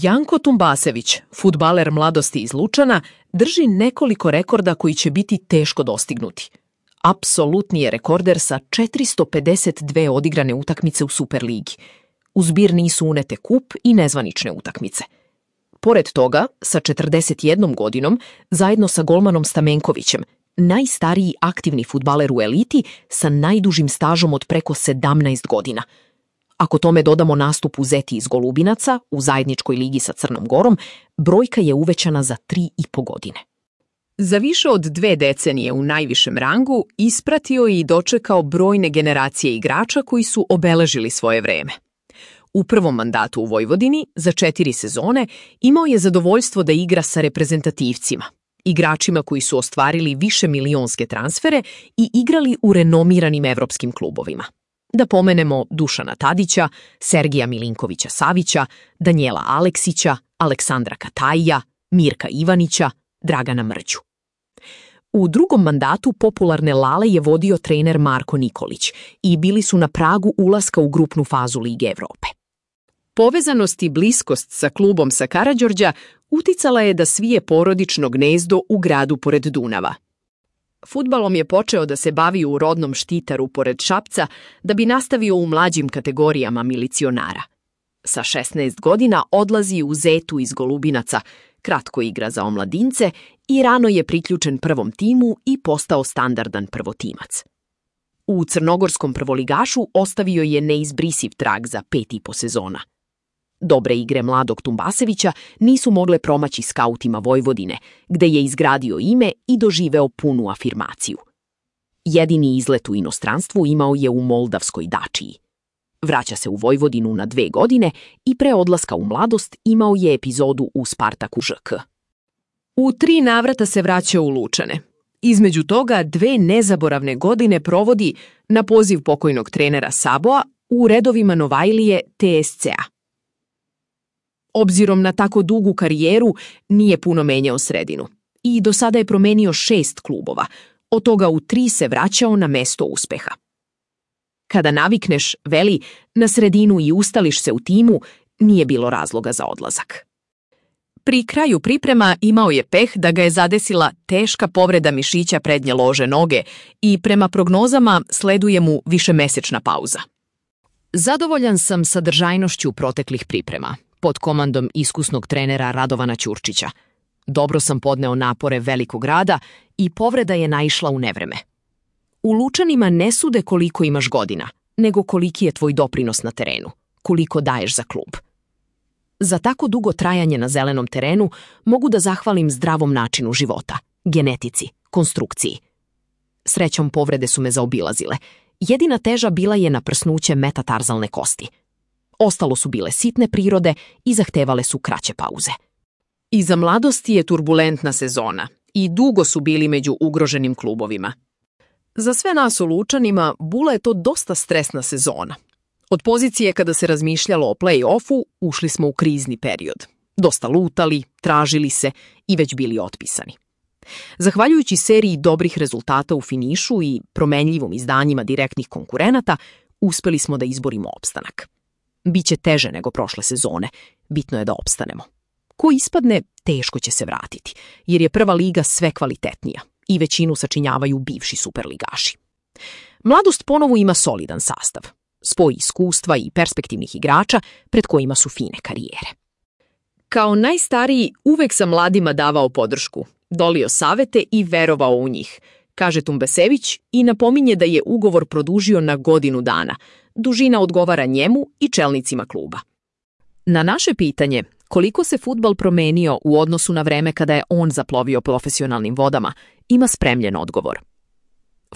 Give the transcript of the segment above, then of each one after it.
Janko Tumbasević, fudbaler mladosti iz Lučana, drži nekoliko rekorda koji će biti teško dostignuti. Apsolutni je rekorder sa 452 odigrane utakmice u Superligi. U zbir nisu unete kup i nezvanične utakmice. Pored toga, sa 41 godinom, zajedno sa golmanom Stamenkovićem, najstariji aktivni fudbaler u eliti sa najdužim stažom od preko 17 godina. Ako tome dodamo nastup u Zeti iz Golubinaca u zajedničkoj ligi sa Crnom Gorom, brojka je uvećana za 3,5 godine. Za više od 2 decenije u najvišem rangu ispratio i dočekao brojne generacije igrača koji su obeležili svoje vreme. U prvom mandatu u Vojvodini, za 4 sezone, imao je zadovoljstvo da igra sa reprezentativcima, igračima koji su ostvarili višemilionske transfere i igrali u renomiranim evropskim klubovima. Da pomenemo Dušana Tadića, Sergija Milinkovića Savića, Danijela Aleksića, Aleksandra Katajija, Mirka Ivanića, Dragana Mrđu. U drugom mandatu popularne Lale je vodio trener Marko Nikolić i bili su na pragu ulaska u grupnu fazu Lige Evrope. Povezanost i bliskost sa klubom sa Karađorđa uticala je da svije porodično gnezdo u gradu pored Dunava. Fudbalom je počeo da se bavi u rodnom Štitaru pored Šapca da bi nastavio u mlađim kategorijama milicionara. Sa 16 godina odlazi u Zetu iz Golubinaca, kratko igra za omladince i rano je priključen prvom timu i postao standardan prvotimac. U crnogorskom prvoligašu ostavio je neizbrisiv trag za 5,5 sezona. Dobre igre mladog Tumbasevića nisu mogle promaći skautima Vojvodine, gde je izgradio ime i doživeo punu afirmaciju. Jedini izlet u inostranstvu imao je u moldavskoj Dačiji. Vraća se u Vojvodinu na 2 godine i pre odlaska u mladost imao je epizodu u Spartaku ŽK. U 3 navrata se vraća u Lučane. Između toga 2 nezaboravne godine provodi na poziv pokojnog trenera Saboa u redovima Novajlije TSC-a. Obzirom na tako dugu karijeru, nije puno menjao sredinu i do sada je promenio 6 klubova, od toga u 3 se vraćao na mesto uspeha. Kada navikneš, veli, na sredinu i ustališ se u timu, nije bilo razloga za odlazak. Pri kraju priprema imao je peh da ga je zadesila teška povreda mišića prednje lože noge i prema prognozama sleduje mu višemesečna pauza. Zadovoljan sam sadržajnošću proteklih priprema, pod komandom iskusnog trenera Radovana Ćurčića. Dobro sam podneo napore velikog rada i povreda je naišla u nevreme. U Lučanima ne sude koliko imaš godina, nego koliki je tvoj doprinos na terenu, koliko daješ za klub. Za tako dugo trajanje na zelenom terenu mogu da zahvalim zdravom načinu života, genetici, konstrukciji. Srećom povrede su me zaobilazile. Jedina teža bila je naprsnuće metatarzalne kosti. Ostalo su bile sitne prirode i zahtevale su kraće pauze. Iza mladosti je turbulentna sezona i dugo su bili među ugroženim klubovima. Za sve nas u Lučanima Bula je to dosta stresna sezona. Od pozicije kada se razmišljalo o play-offu ušli smo u krizni period. Dosta lutali, tražili se i već bili otpisani. Zahvaljujući seriji dobrih rezultata u finišu i promenljivom izdanjima direktnih konkurenata, uspeli smo da izborimo opstanak. Biće teže nego prošle sezone, bitno je da opstanemo. Ko ispadne, teško će se vratiti, jer je prva liga sve kvalitetnija i većinu sačinjavaju bivši superligaši. Mladost ponovo ima solidan sastav, spoj iskustva i perspektivnih igrača pred kojima su fine karijere. Kao najstariji uvek sam mladima davao podršku, dolio savete i verovao u njih, kaže Tumbasević i napominje da je ugovor produžio na 1 godinu dana. Dužina odgovara njemu i čelnicima kluba. Na naše pitanje koliko se fudbal promenio u odnosu na vreme kada je on zaplovio profesionalnim vodama, ima spremljen odgovor.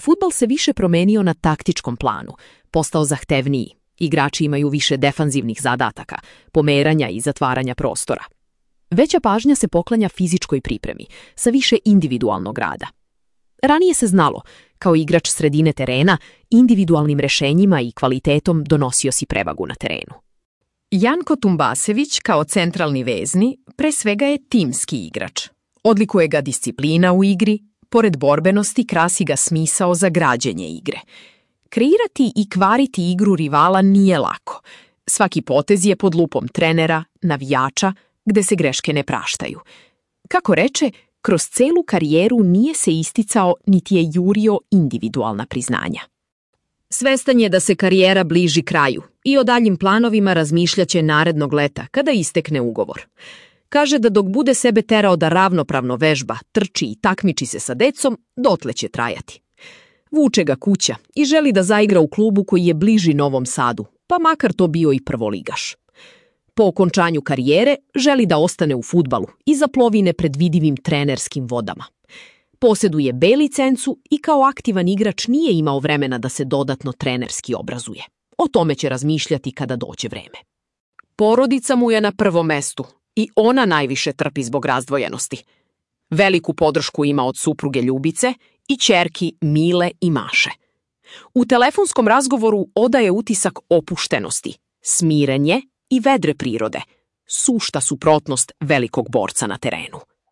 Fudbal se više promenio na taktičkom planu, postao zahtevniji, igrači imaju više defanzivnih zadataka, pomeranja i zatvaranja prostora. Veća pažnja se poklanja fizičkoj pripremi, sa više individualnog rada. Ranije se znalo, kao igrač sredine terena, individualnim rešenjima i kvalitetom donosio si prevagu na terenu. Janko Tumbasević kao centralni vezni pre svega je timski igrač. Odlikuje ga disciplina u igri, pored borbenosti krasi ga smisao za građenje igre. Kreirati i kvariti igru rivala nije lako. Svaki potez je pod lupom trenera, navijača, gde se greške ne praštaju. Kako reče, kroz celu karijeru nije se isticao niti je jurio individualna priznanja. Svestan je da se karijera bliži kraju i o daljim planovima razmišljaće narednog leta kada istekne ugovor. Kaže da dok bude sebe terao da ravnopravno vežba, trči i takmiči se sa decom, dotle će trajati. Vuče ga kuća i želi da zaigra u klubu koji je bliži Novom Sadu, pa makar to bio i prvoligaš. Po okončanju karijere želi da ostane u fudbalu i zaplovi nepredvidivim trenerskim vodama. Posjeduje B licencu i kao aktivan igrač nije imao vremena da se dodatno trenerski obrazuje. O tome će razmišljati kada dođe vreme. Porodica mu je na prvom mestu i ona najviše trpi zbog razdvojenosti. Veliku podršku ima od supruge Ljubice i ćerki Mile i Maše. U telefonskom razgovoru odaje utisak opuštenosti, smirenje i vedre prirode, sušta suprotnost velikog borca na terenu.